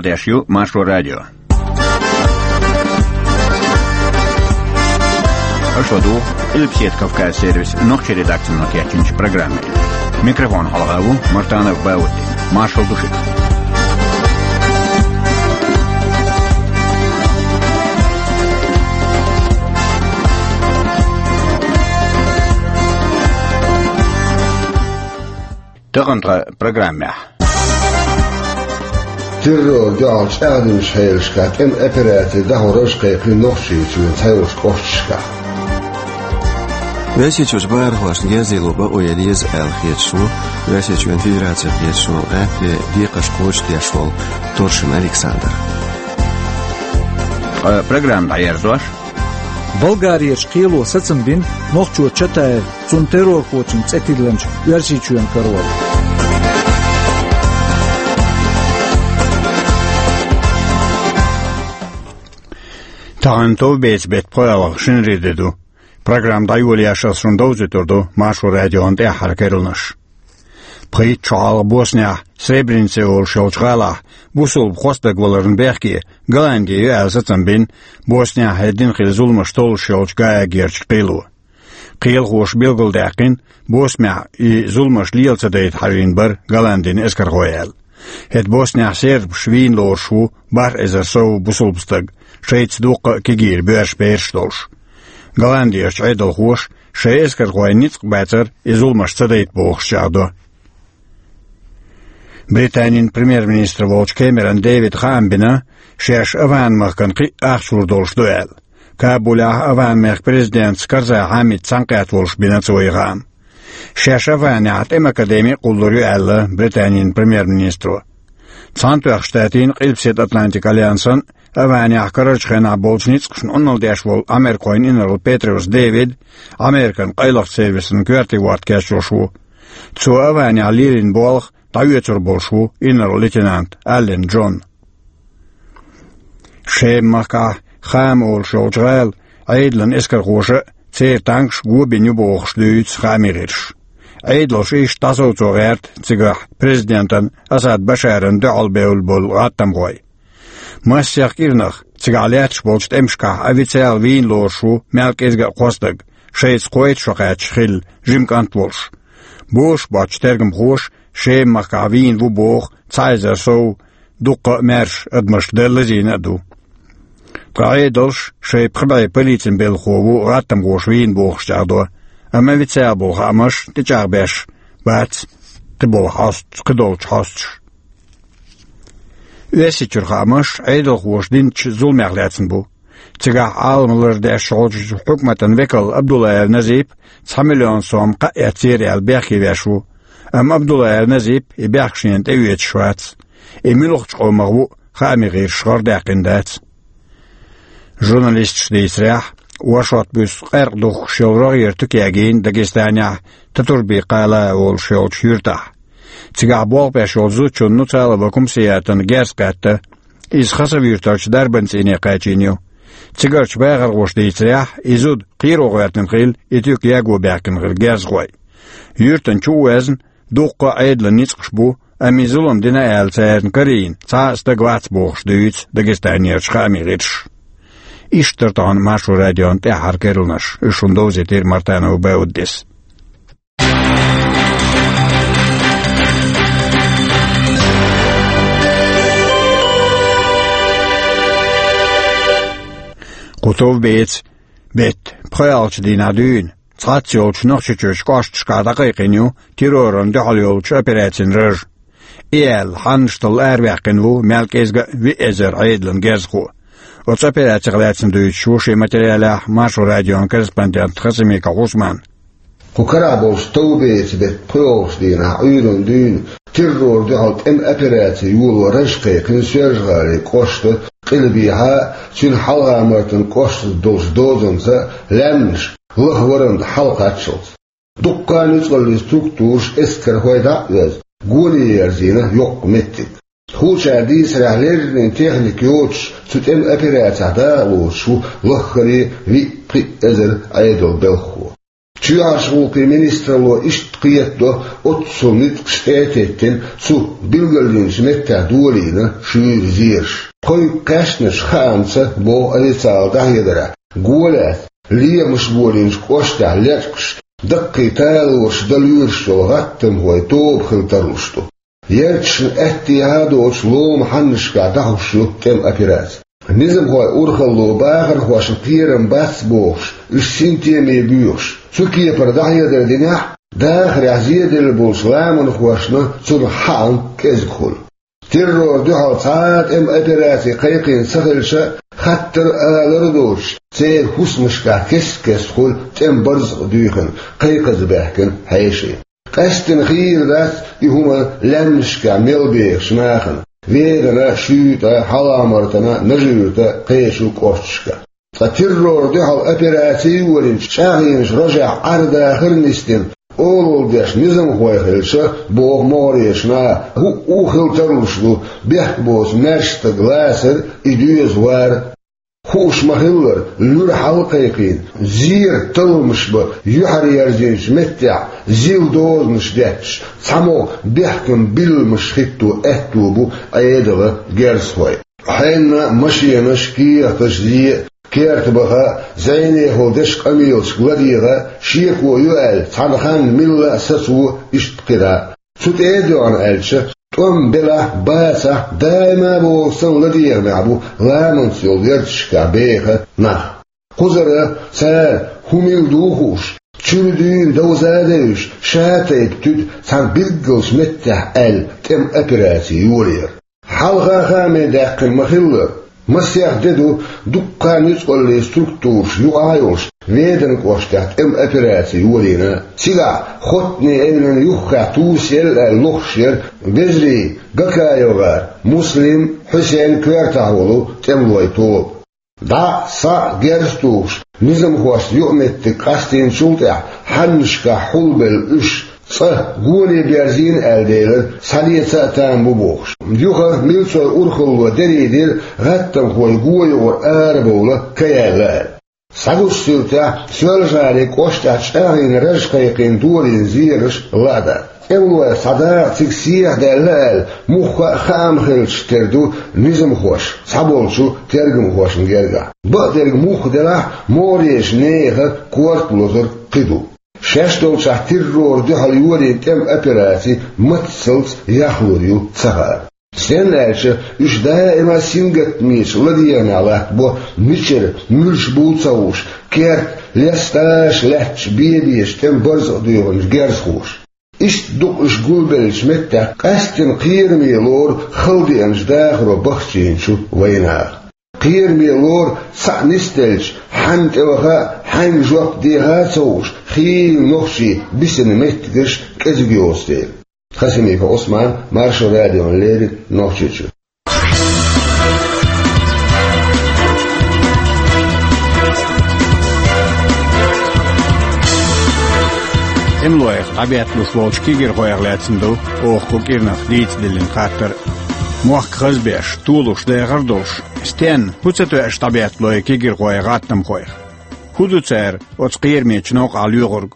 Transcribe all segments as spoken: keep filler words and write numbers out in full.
Деш ю Маршо радио. Аша ду Къилбаседа Кавказ сервис нохчийн редакцино кечйинчу программе. Микрофон хьалха ву Мартанов Баудди. Маршал ду шуьга. Тахана тхан программехь. Террор дуьхьал чӀагӀдинчу хьелашкахь тӀеман операци дӀахьо раж кхайкхина Нохчийчоьнан цхьайолчу кӀошташкахь. Оьрсийчуьрчу бахархошна герзаяло бакъо ян еза аьлла хеташ ву Оьрсийчоьнан Федерацехь кхеташ волу гӀаьттина декхарш кхочушдеш волу Торшин Александр. Ткъа программа дӀаерзош. Болгарерчу кхело сацам бина нохчо Чатаев, цунна террорхочун цӀе тиллинчу Оьрсийчоьнан карор. Тахана товбецан беттан пхоьалгӀа шинарин де ду. Программа дӀайолош ас шуна довзуьйтур ду Маршо радион тӀаьххьара керланаш. Пхийтта шо хьалха Боснехь, Сребреница олуш йолчу гӀалахь, бусулба хьостаг валарна бехке Голланди ю аьлла сацам бина, Боснехь хӀеддина хилла зуламаш толлуш йолчу Гаагерчу кхело. Кхелахоша билгалдаьккхина, Боснехь и зуламаш лела ца дайта хьажийна бара Голландин эскархой аьлла. ХӀета Боснехь сербаш вийна лоруш ву бархӀ эзар сов бусулба стаг, шайца дуккха а кегийра боьрша бераш долуш. Голландерчу Ӏедалхоша шайн эскархойн ницкъ бацара и зуламаш ца дайта бохуш чӀагӀдо. Британин премьер-министр волчу Кэмерон Дэвида хаам бина, шаьш АфгӀан-махкана кхин а ахча лур долуш ду аьлла. Кабулехь АфгӀан-мехкан президентца Карзай Хьамид цхьаьнакхетта волуш бина цо и хаам. Шаьш АфгӀанехь тӀеман академи а кхуллур ю аьлла Британин премьер-министро. Цхьаьнатоьхначу Штатийн Къилбаседа Атлантикан альянсан а, АфгӀанехь карарчу хенахь болчу ницкъашна Ӏуналла деш волу америкахойн инарла Петриус Дэвид Американ къайлахчу сервисан коьртийн ворта кечйош ву. Цо АфгӀанехь лелийна болх дӀаоьцур болуш ву инарла лейтенант Аллен Джон. Шема-махкахь Хама олуш йолчу гӀала Ӏедалан эскархоша а, церан танкаш а го бина ю бохуш дуьйцу хаамийн гӀирсаша. Ӏедалша иштта дӀасовцо гӀерта цигахь президентан Асад Башаран дуьхьал бевлла болу гӀаттамхой. Массех кӀирнах цигахь лаьтташ болчу тӀемашкахь официал вийна лоруш ву мел кӀезга а кхо стаг, шайца кхойтта шо кхаьчча хилла жима кӀант волуш. Бозуш боцчу тергамхоша Шема-махкахь вийна ву боху цхьа эзар сов дуккха а маьрша адамашна дан лазийна а ду. Ткъа Ӏедалша шайн пхи бӀе полицин белхахо ву гӀаттамхоша вийна бохуш чӀагӀдо, амма официал болу хаамаш тӀечӀагӀбеш бац кхидолчу хьосташа. Оьрсийчуьра хаамаш Ӏедалхоша динчу зуламех лаьцна бу. Цигахь Ӏалам лардеш волчу хьукматан векал Абдуллаев Назип цхьа миллион сом кхаъ эцнера аьлла бехке веш ву. Амма Абдуллаев Назип и бехк шена тӀеоьцуш вац. И муьлхачу къомах ву хаамийн гӀирсаша гӀарадаьккхина дац. Журналисташа дийцарехь, оршот буьйсу къаьркъа духкуш йолу рогӀера туька ягийна Дагестанехь Татурби-Кала олуш йолчу юьртахь. Цигахь болх беш йолчу зудчунна Нуцалова Кумсиятана герз кхетта, иза Хасав-юьртарчу дарбан цӀийне кхаьчна ю. Цигарчу бахархоша дийцарехь, и зуда кхеро гӀоьртина хилла и туька яго баьхкина хилла герзахой. Юьртана чу а везна, дуккха а Ӏедалан ницкъаш бу, амма и зулам дина аьлла царна карийна цхьа а стаг вац бохуш дуьйцу Дагестанерчу хаамийн гӀирсаша. Иштта дара тахана Маршо радион тӀаьххьара керланаш, уьш шуна довзийтира Мартанов Бауддис. Кху товбецан беттан пхоьалгӀачу дийнахь дуьйна цхьацца йолчу Нохчийчуьрчу кӀошташкахь дӀакхайкхийна ю террорна дуьхьал йолчу операцин раж. И аьлла, хьаннаш талла араваьккхина ву мел кӀезга а виъ эзар Ӏедалан герзахо. Оцу операцех лаьцна дуьйцуш ву шен материалехь Маршо радион корреспондент Хасимиков Усман. Кху карахь болчу товбецан беттан пхоьалгӀачу дийнахь Ӏуьйранна дуьйна террор дуьхьал тӀеман операци йоло раж кхайкхина Соьлжа-ГӀалин кӀоштан Къилбехьа а, цуьнан Хьалха-Мартан кӀоштаца долчу дозанца а лаьмнаш лаха варан тӀе хьалакхаччалц. Дуккха а нуьцкъаллин структураш, эскархой дӀа а оьзна, гоне ерзийна йоккха меттиг. Тхулчара дийцарехь, леррина техника йоцуш, цу тӀеман операцехь дакъалоцуш ву лаххара а виъ-пхиъ эзар Ӏедалан белхахо. Чоьхьарчу гӀуллакхийн министралло иштта кхетадо, оццул ницкъаш тӀе а теттина, цу билгалдинчу меттехь долийна шуьйра зераш. Кхойкху кхаьчначу хаамца, боху официалан дӀахьедарехь, гулбеллачу лехамаш болийначу кӀоштехь лечкъаш, даккхий талораш дан лоьруш йолу гӀаттамхойн тоба хила тарлуш ду. Ярташна аьттехьа а доцуш, ломан хьаннашкахь дӀахьуш ю тӀеман операци. Низамхойн урхалло бахархошна кхерам бац бохуш, уьш синтеме боьхуш, цу кепара дӀахьедар динехь а, дахарехь зеделла болчу ламанхошна цунах хаам кӀезиг хуьлу. Террорна дуьхьал цхьа а тӀеман операци кхайкхийна ца хилча а, хаттар а, алар а доцуш, церан хӀусамашкахь кест-кеста хуьлу тӀеман барзакъ дуьйхина, кхайкхаза баьхкина хьеший. Къаьсттина хийра дац и хӀума лаьмнашкахь мел бехачу нахана, Ведана, Шуьйтан, Хьалха-Мартана, Нажи-Юьртан кхечу кӀошташкахь. Ткъа террорна дуьхьал операци йолийначу чӀагӀйинчу рожехь Ӏар-дахар а нисдина, олалла деш низамхой хилча, боху могӀарерчу наха, хӀуъа а хила тарлуш ду бехк боцу маьрша стаг лацар а, и доьза вар а. Хууш ма-хиллара, луьра хьала а кхайкхийна, зеран талламаш бан юьхьар ерзийначу меттехь зил дозанаш детташ, цхьамогӀа бехкан билламаш хӀитто аьтто бу Ӏедалан герзахойн. Хьенан а, машенаш а, кехаташ а, зен а, керта баха а, зӀенехула дечу къамелашка ладегӀа а, шеко ю аьлла, цхьана ханна милла а сацо, иштта кхидӀа а. Цу тӀе а доьгӀна аьлча, тӀом белахь а, бацахь а, даима а бохург санна ладегӀамехь бу ламанца йолу ярташкахь беха нах. Кхузара цара хӀун мила ду хууш, чуьра дуьйна довза а девзаш, ша-тайпа туьду цхьана билггалчу меттехь аьлла тӀеман операци йолаялар. Хьалха хааме даьккхина ма-хиллара, масех де ду дуккха а ницкъаллийн структураш юкъахь а йолуш Ведана кӀоштахь тӀеман операци йолийна. Цигахь Хоттане эвлана юххехь тосаелла аьлла лохуш яра вежарий Гакаев гӀар, Муслим, Хьусен коьртахь волу тӀемалойн тоба. ДӀа а, схьа а герз тухуш, низамхошца юкъаметтиг къастийначул тӀаьхьа, хьаннашкахь хьулбелла уьш, цкъа гоне берзийна аьлла делира, схьалеца а там бу бохуш. Юха милцойн урхалло дерриг дира, гӀаттамхой го юкъара арабовла ка яьлла аьлла. Схьагучу суьртехь, Соьлжа-ГӀалин кӀоштахь чӀагӀйина раж кхайкхийна долийна зераш лаа дац. ТӀемалойх цхьа дакъа цига сехьадаьлла аьлла, мухха а хаам хилча тера ду низамхоша цхьаболчу тергамхошна гергахь. Бакъдерг мухха делахь а, могӀарерчу нехан корта лозург кхин ду. Шаьш долчохь террорна дуьхьал йолийна тӀеман операци маттаца яхлур ю ца хаьара. Стенна аьлча, уьш даима сингаттамечу ладегӀамехь латтабо, мичара, муьлш буй ца хууш, керта, лесташ лаьтташ бен-бен тӀеман барзакъ дуьйхинчу герзахоша. Иштта ду-кх уьш гулбеллачу меттехь къаьсттина кхераме лору халдеанчу дахаро бахчийначу вайнаха. Кхераме лору цхьаъ нисделча, хьанна тӀеваха а, хьаьнга жоп деха а ца хууш, хийла нохчий бисина меттигаш кӀезиг йоцу дела. Хасимиков Ӏусман, Маршо радиона леррина, Нохчийчуьра. ТӀемалойх дӀабетталуш болчу кегийрхойх лаьцна ду оха кху кӀирнах дийца диллина хаттар а. Мохк хазбеш, толуш дахар а долуш, стенна, хӀун ца тоьуш дӀабеттало кегийрхой гӀаттамхойх? ХӀун ду цара оцу кхерамечу новкъахь лоьхург?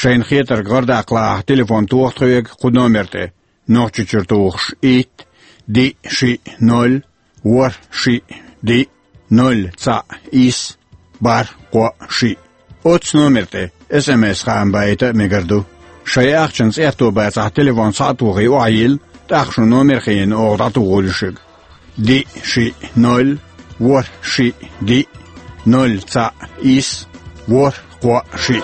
Шайна хетарг гӀардаккха лаахь, телефон тоха тхоьга кху номер тӀе, Нохчийчуьра тухуш: итт, диъ, шиъ, ноль, ворхӀ, шиъ, диъ, ноль, цхьаъ, исс, бархӀ, кхоъ, шиъ. Оццу номер тӀе эс эм эс-хаам байта а мегар ду. Шайн ахчанца аьтто бацахь, телефон схьа а тухий, охьайилла, тӀаккха шун номер хиъна оха дӀатухур ю шуьга. Диъ, шиъ, ноль, ворхӀ, шиъ, диъ, ноль, цхьаъ, исс, ворхӀ, кхоъ, шиъ.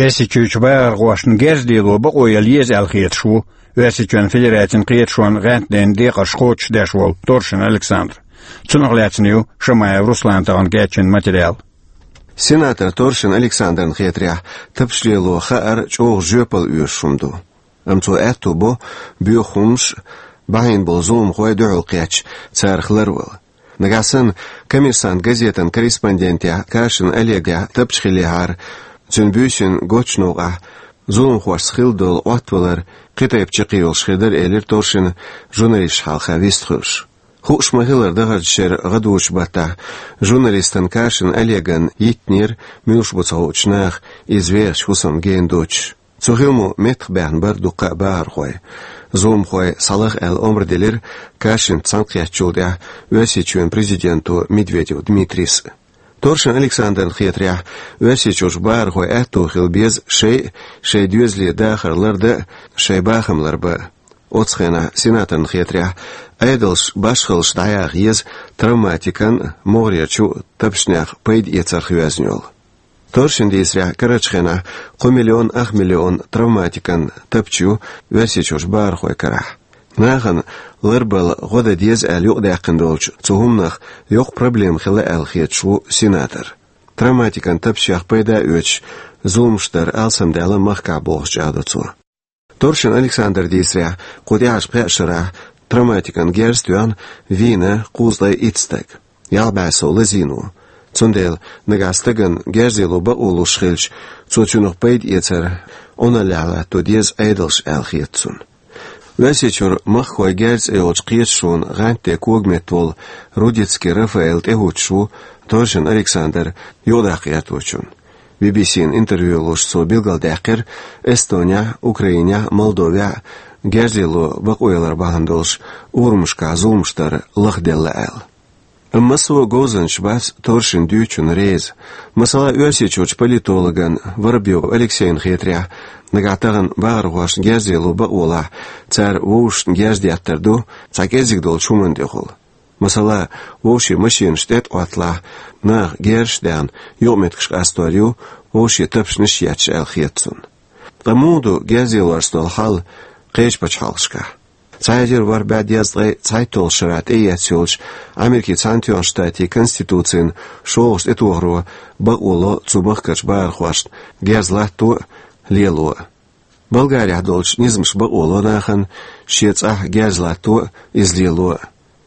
Оьрсийчуьрчу бахархошна герз лело бакъо яла еза аьлла хеташ ву Оьрсийчоьнан Федерацин кхеташонан гӀаьнтден декъарш кхочушдеш волу Торшин Александр. Цунах лаьцна ю Шамаев Руслана тахана кечйина материал. Сенатор Торшин Александрна хетарехь, тапаш лело хаар чӀогӀа жоьпалла оьшуш хӀума ду. Амма цо аьтто бо боьха хӀумнаш а, бахьийна болу зуламхой а дуьхьал кхетча, царах ларвала. Нагахь санна, «Коммерсант» газетан корреспондентехь Кашин Олегехь тапча хиллехьара, цуьнан буьйсанна гоцчу новкъахь Зуламхошца хилла долу Ӏоттавалар кхин тайпа чаккхе йолуш хир дара, элира Торшина, журналисташна хьалха вистхуьлуш. Хууш ма-хиллара, дахарчу шеран гӀадужу баттахь журналистана Кашин Олегана йиттинера, муьлш бу ца хуучу наха иза вехачу хӀусамна гена доцуш. Цу хиламо меттахбаьхна бара дуккха а бахархой. Зуламхой схьалаха аьлла омра делира Кашинца цхьаьнакхеттачул тӀаьхьа Оьрсийчоьнан президенто Медведев Дмитрийс. Торшин Александрна хетарехь, Оьрсийчуьрчу бахархойн аьтто хила беза шайн а, шайн доьзале дахар лардан а, шайн бахам ларбан а. Оцу хенахь сенаторна хетарехь, Ӏедалша башхаллаш дӀаяха еза травматикан а, могӀарерчу а тапчанех пайда эцарх йоьзна йолу. Торшина дийцарехь, карарчу хенахь кхо миллион ах миллион травматикан тапча ю Оьрсийчуьрчу бахархойн карахь. Нахана ларбала гӀо дан деза аьлла юкъадаьккхина долчу цу хӀуманах йоккха проблема хилла аьлла хеташ ву сенатор. Травматикан тапчех пайда а оьцуш, зуламаш дар алсамдаьлла махкахь бохуш чӀагӀдо цо. Торшин Александра дийцарехь, кху тӀаьхьарчу пхеа шарахь травматикан герз тоьхна вийна кхузткъе итт стаг. Ялх бӀе сов лазийна ву. Цундела нагахь стагана герз лело бакъо луш хилча, цо цуьнах пайда эцар Ӏуналлехь латто деза Ӏедалша аьлла хета цунна. Оьрсийчуьра «Махкахой герз» цӀе йолчу кхеташонан гӀантде когаметта волу Рудицкий Рафаэл тӀехӀуттуш ву Торшин Александр юкъадаккха гӀерточунна. Би-би-сина интервью луш цо билгалдаьккхира, Эстонехь, Украинехь, Молдовехь герз лело бакъо ялар бахьана долуш урамашкахь зуламаш дар лахделла аьлла. Амма массо а говзанчаш бац Торшина дуьйцучунна реза. Масала, Оьрсийчуьрчу политологна Воробьёв Алексейна хетарехь, нагахь тахана бахархошна герз лело бакъо лахь, цара вовшашна герз деттар ду цхьа кӀеззиг долчу хӀуманна тӀехула. Масала, вовшийн машенаш тӀетӀа Ӏотталахь, наха герзаш а даьхна, юкъаметтигаш къастор ю, вовшийн тапчанаш а етташ аьлла хета цунна. Ткъа муха ду герз лелорца долу хьал кхечу пачхьалкхашкахь? Цхьа эзар ворхӀ бӀе дезткъе цхьайтталгӀачу шарахь тӀеэцна йолчу Америкин Цхьаьнатоьхначу Штатийн Конституцин шолгӀачу тӀетохаро бакъо ло цу махкарчу бахархошна герз латто а, лело а. Болгарехь долчу низамаша бакъо ло нахана шен цӀахь герз латто а, иза лело а.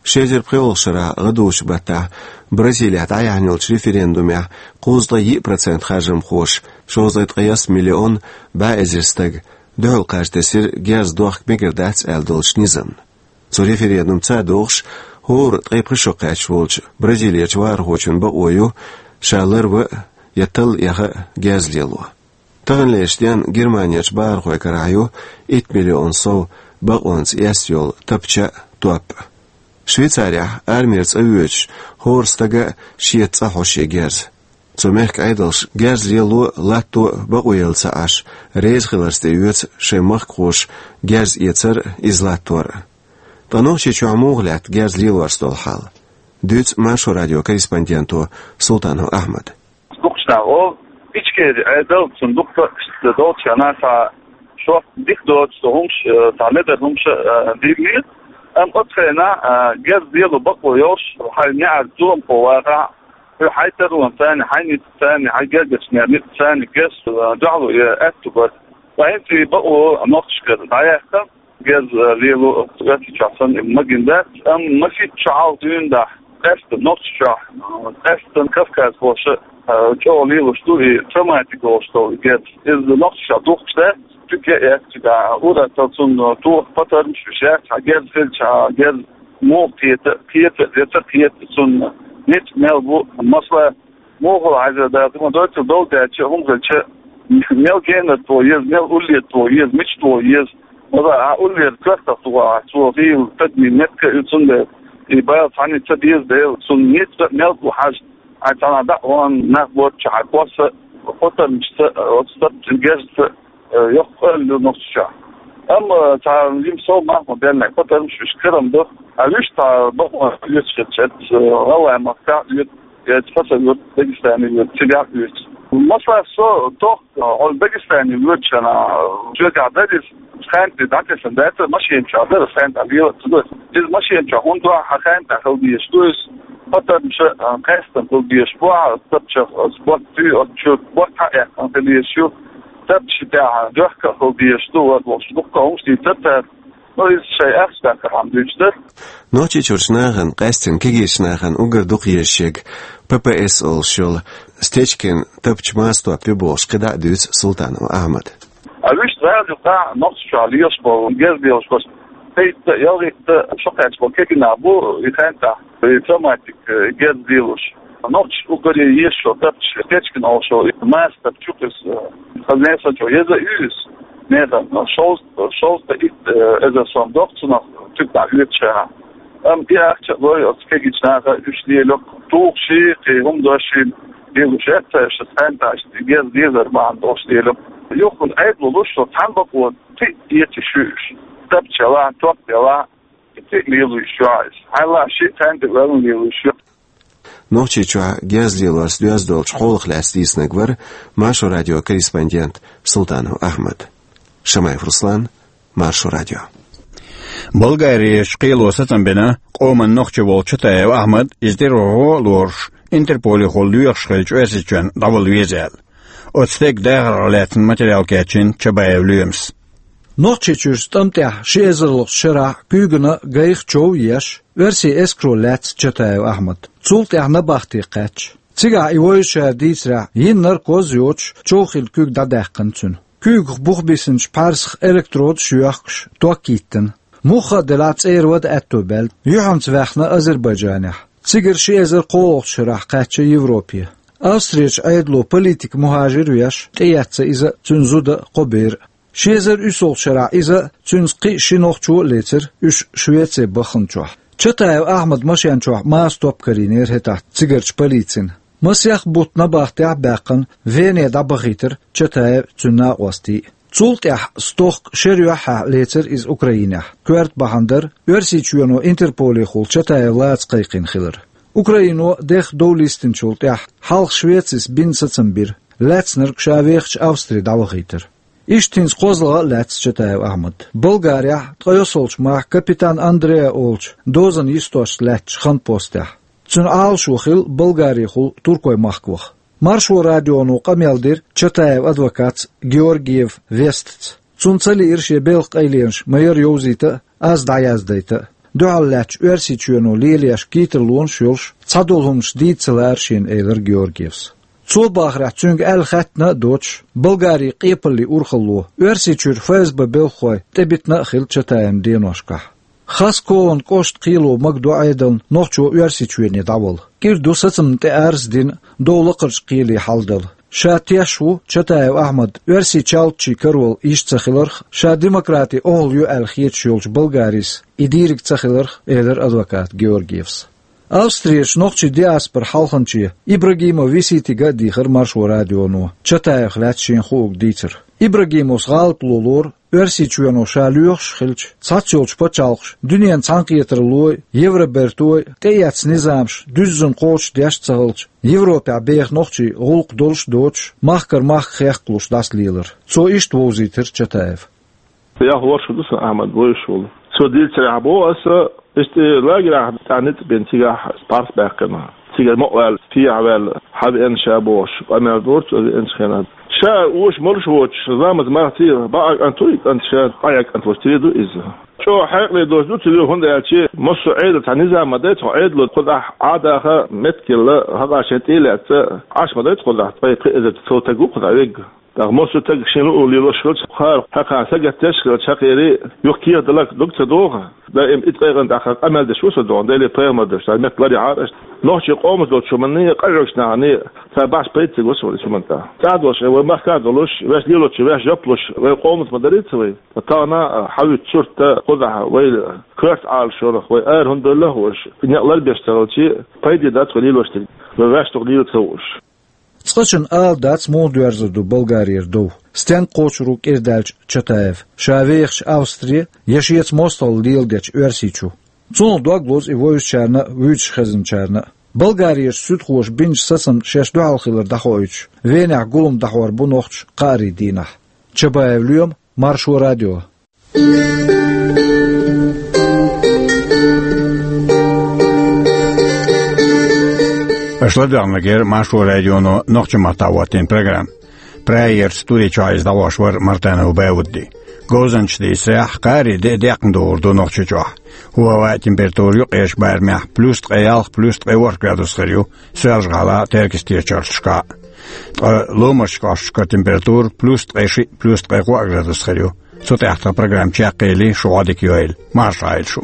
Ши эзар пхоьалгӀачу шарахь гӀадужу баттахь Бразилехь дӀаяьхьна йолчу референдумехь кхузткъе йиъ процент харжамхоша, шовзткъе ткъайесна миллион бӀе эзар стага, дуьхьал кхаж тесира герз дохка мегар дац аьлла долчу низамна. Цу референдумца а догӀуш, хӀора ткъе пхи шо кхаьчна волчу Бразилерчу вахархочун бакъо ю ша ларван а, я талла эха а герз лело. Таханлерчу денна Германерчу бахархойн карахь ю итт миллион сов бакъонца эсна йолу тапча а, топ а. Швейцарехь армера цӀа воьдуш хӀора стага а шеца цӀа хьо шен герз. Цу мехкан Ӏедалша герз лело а, латто а бакъо елла ца Ӏаш, реза хиларца тӀеоьцу шайн махкахоша герз эцар а, иза латтор а. Ткъа Нохчийчохь муха лаьтта герз лелорца долу хьал? Дуьйцу Маршо радион корреспонденто Султанов Ахьмада. Дукхачу наха олу, Ичкери Ӏедал, цунна дукха иштта долчу хенахь цхьа шортта дика доцуш долу хӀумаш, э, цхьа медар хӀумаш а, э, дийр. Амма оцу хенахь, э, герз лело бакъо йолуш, хьайн неӀарца зуламхо вахахь, хьайн таронца, хьайн ницкъаца, хьайн гергарчу нехан ницкъаца герз, э, дуьхьало, э, аьтту бара. Ткъа хӀинца и бакъо нохчашкара дӀаяьккхина. Герз, э, лело Оьрсийчохь санна магийна дац, амма масийтта шо хьалха дуьйна дахь, къаьсттина Нохчийчохь, э, къаьсттина кавказхоша, э, чӀогӀа лелош ду и травматика олуш долу герз. Иза Нохчийчохь духкуш дац, туька а эцна, цигахь ур а тан цунна тоха патармаш а беш яц, хьан герз хилча, хьан герз муха кхета, кхета а, я ца кхета а цунна ницкъ мел бу, масала, муха хьайзар дацахь, ма дойтал долу даьлча а, хӀума хилча а, мел генара тоха еза, мел уллера тоха еза, мича тоха еза. Вала, а уллера коьртах тухахь, цо хийла тадмин меттиг а ю, цундела и бала цхьанне ца беза дела, цунна ницкъ а мел бу хьажа, хьайн цхьана дӀа а вахана нах боцчу хьайн кхосса, кхо тӀармашца, оцу стартчун герзца, э, йоккха къоьлла ю Нохчийчохь. Амма цхьа жима сов мах ма беллинехь, кхо тӀармаш вуьш карам ду. А вуьш цхьа бакъонца оьцуш хилча, э, гӀалгӀай махкахь а оьцу, я цхьа сан юрт, Дагестане юрт, цигахь а оьцу. Масала, со тохка, хьо Дагестане воьдуш хенахь, соьгахь дара иза, ханна тӀе дӀатесна дац, машина чохь дара, ханна тӀе лела а ца дара. Иза машина чохь хӀунда ду, хьан ханна тӀе хила дезаш ду иза, патармаш а, э, къаьсттина хила дезаш бу, хьан тапчах, э, ботт туьй, оцу чуьра ботт хьаэккхина хила дезаш ю. Тапча тӀехь доьхка а хила дезаш ду, вара бохуш, дуккха а хӀумаш дийцира цара. Ну, иза шайн ахча даккхархьама дуьйцуш дара. Нохчийчуьрчу нахана, къаьсттина кегийчу нахана уггар дукха езаш ерг П П С олуш йолу стечкин тапча маса топ ю бохуш кхидӀа а дуьйцу Султанов Ахьмада. Ткъа вуьшта гӀала юкъахь Нохчийчохь лелаш болу, герз лелаш болу, пхийтта, ялхитта шо кхаьчна болу кегий нах бу и хентахь, и травматик, э, герз лелош. Нохчаша уггаре езаш йолу тапча, кечкина олуш йолу и маса тапча ю-кх иза, э, хаза несан чохь еза а ю иза. Нехан шовзткъа, шовзткъа итт, э, эзар сом доккху цунах, цуьнан оьцуш. Амма и ахча а лой оцу кегийчу наха, уьш лело-кх, тухуш, кхин хӀума дош, лелош эццайша хентахь, герз лелар бахьана долуш лело-кх. Юха Ӏедало луш, цхьана бакъо кхин а эца йиш ю уьш. Тапча ялахь, топ ялахь, и кхин а лело йиш ю иза. Хьалха шиъ, цхьаьна тӀе ваьлла лело йиш ю. Нохчийчохь герз лелорца доьзна долчу хьолах лаьцна дийцинарг вара Маршо радион корреспондент Султанов Ахьмад. Шамаев Руслан, Маршо радио. Болгарерчу кхело сацам бина къоман нохчи волчу Чатаев Ахьмад, иза тӀера гӀо а лоруш, Интерполехула лоьхуш хилча Оьрсийчоьнна дӀавала веза аьлла. Оцу стеган дахарх лаьцна материал кечйина Чабаев Лоьмас. Нохчийчуьрчу тӀам тӀехь ши эзарлагӀчу шарахь куьйгана гайх чов а еш, оьрсийн эскаро лаьцна Чатаев Ахьмад. Цул тӀаьхьа набахте кхаьчча. Цигахь и вовзачара дийцарехь, йина наркоз а йоцуш, чов хилла куьг дӀадаьккхина цуьнан. Куьйгах бух бисинчу пхьарсах электродаш а йоьхкуш, ток йиттина. Муха а делахь, цӀера вада аьтто баьлла, юьхьанца ваьхна Азербайджанехь. Цигара ши эзар кхоалгӀачу шарахь кхаьчча Европе. Австрерчу Ӏедало политик-мухӀажир а веш, тӀеэцна иза а, цуьнан зуда а, кхо бер а. Ши эзар уьссалгӀачу шарахь иза а, цуьнца кхин а ши нохчо а лецира, уьш Швеце бахханчохь. Чатаев Ахьмадан машен чохь маса топ карийнера хӀетахь цигарчу полицина. Масех бутт набахтехь а баьккхина, Вене дӀабахийтира Чатаев а, цуьнан накъостий а. Цул тӀаьхьа стохка шеран юьххьехь лецира иза Украинехь. Коьрта бахьана дара Оьрсийчоьно Интерполехула Чатаев лаца кхайкхина хилар. Украино дехха дов листинчул тӀаьхьа хьалха Швецис бина сацам бира, лаьцнарг ша вехачу Австри дӀавахийтира. Иштта хӀинца кхозлагӀа а лаьцна Чатаев Ахьмад. Болгарехь ткъе йоьссалгӀачу мархьа капитан Андреа олучу дозанна йистошца лаьттачу хан постехь. Цуьнан Ӏалашо хилла Болгарехула туркойн махка ваха. Маршо радионо къамел дира Чатаевн адвокатца Георгиев Вестаца. Цунна ца лиира шен белхан къайленаш ма-ярра йовзийта а, аз дӀаяздайта а. Дуьхьал лаьттачу Оьрсийчоьно лелаеш кхетарлонаш йолуш, цхьадолу хӀуманаш дийца ца лаьара шена, элира Георгиевс. Цо бахарехь, цуьнга аьлла хаьттина а доцуш, Болгарин къепаллин урхалло, Оьрсийчуьра ФСБ белхахой тӀебитина а хилла Чатаевн деношкахь. Хаскован кӀоштан кхело магадо Ӏедална нохчо Оьрсийчоьне дӀавала. КӀира ду сацамна тӀе арз а дина, дов лакхарчу кхеле хьаладала. Ша теш ву Чатаев Ахьмад оьрсийн чалтачийн карор йиш ца хиларх, ша демократи охьалуьйш ю аьлла хеташ йолчу Болгарис и дийриг ца хиларх, элира адвоката Георгиевс. Австрерчу нохчийн диаспоран хьалханче Ибрагимов Виситига а дийхира Маршо радионо Чатаевх лаьцна шена хуург дийцар. Ибрагимовс гӀалатло лору, Оьрсийчоьно ша лоьхуш хилча, цхьацца йолчу пачхьалкхаша дуьненан цхьаьнакхетараллой, Евробертой тӀеэцна низамаш дуьззина кхочушдеш а ца хилча, Европехь беха нохчий гӀуллакх долуш а доцуш, махкара махка хехкалуш дӀасалелар. Цо иштта вовзийтира Чатаев. Ялх ворхӀ шу ду сан Ахьмад вевзаш волу. Цо дийцарехь боху аса, иштта лагерехь цхьа ницкъ бина, цигахь пхьарс баьккхина. Цигара ма ваьлла, сехьа ваьлла, хьавеана ша бохуш, къамел дора цо веанчу хенахь. Ша оьшу молуш воцуш, ламаз мах ца йира, бакъ кӀант ву и кӀант, ша къаьхьа кӀант волуш тера ду иза. ЧӀогӀа хьекъале доцуш ду цуьнан, хӀунда аьлча массо а Ӏедал цхьа низам ма дай, цхьа Ӏедало кхузахь Ӏадаха меттигелла, хьакъ а шайн тӀе а лаьцна, Ӏаш ма дай кхузахь, ткъе пхи эзар цо таг ву кхузахь вегга. ТӀаккха массо а таг шен луъу лелош хилча, кхара хьакха сагатдеш хилча, хьакхери юха кехат даларх дог ца догӀу. Даим и ткъе кӀант тӀехь къамел деш ву со догӀу, Деле пайхамар деш, цхьа метта ларъяхьара аша. Нохчийн къомаца долчу хӀуманний, къахьоьгучу наханий цхьа бахьаш пайда ца го со вай цу хӀуманна тӀехь. ЦӀахь долуш, вай махкахь долуш, ваьш лелочу, ваьш жоп луш, вай къомаца ма дарий ца вай. Ткъа тахана хьавуьйту сурт кхузахь, вай коьрта Ӏалашонах, вай ара хӀунда девлла а хууш, некъ ларбеш ца хилча, пайде дац вай лелош дерг, вай ваьш дукха лела ца хууш. Цкъачунна ала дац, муха доьрзур ду Болгарера дов, стенга кхочур ву кӀирдаьлча Чатаев, ша вехачу Австре я шеца мостагӀалла леладечу Оьрсийчу. Цунах дог лозу и вевзачарна а, вуьйцуш хезначарна а. Болгарерчу суьдхоша бинчу сацамна шаьш дуьхьал хилар дӀахоуьйтуш, Венехь гулам дӀахьор бу нохчаша кхаарийн дийнахь. Чабаев Лоьма, Маршо радио. Аша ладоьгӀнарг яра Маршо радионо нохчийн маттахь хӀоттийна программа. Прагерчу студи чохь иза дӀахьош вара Мартанов Баудди. Говзанчаша дийцарехь, кхаарийн де декъна догӀур ду Нохчийчохь. ХӀоа, хӀаваан температура юккъерчу барамехь плюс ткъе ялх, плюс ткъе ворхӀ градус хир ю Соьлжа-ГӀалахь а, Теркйистечу чарташкахь а. Ткъа ломарча кӀошташка температура плюс ткъе шиъ, плюс ткъе кхоъ градус хир ю. Цу тӀехь тхан программа чекхъели, шу Ӏодика йойла. Марша Ӏойла шу.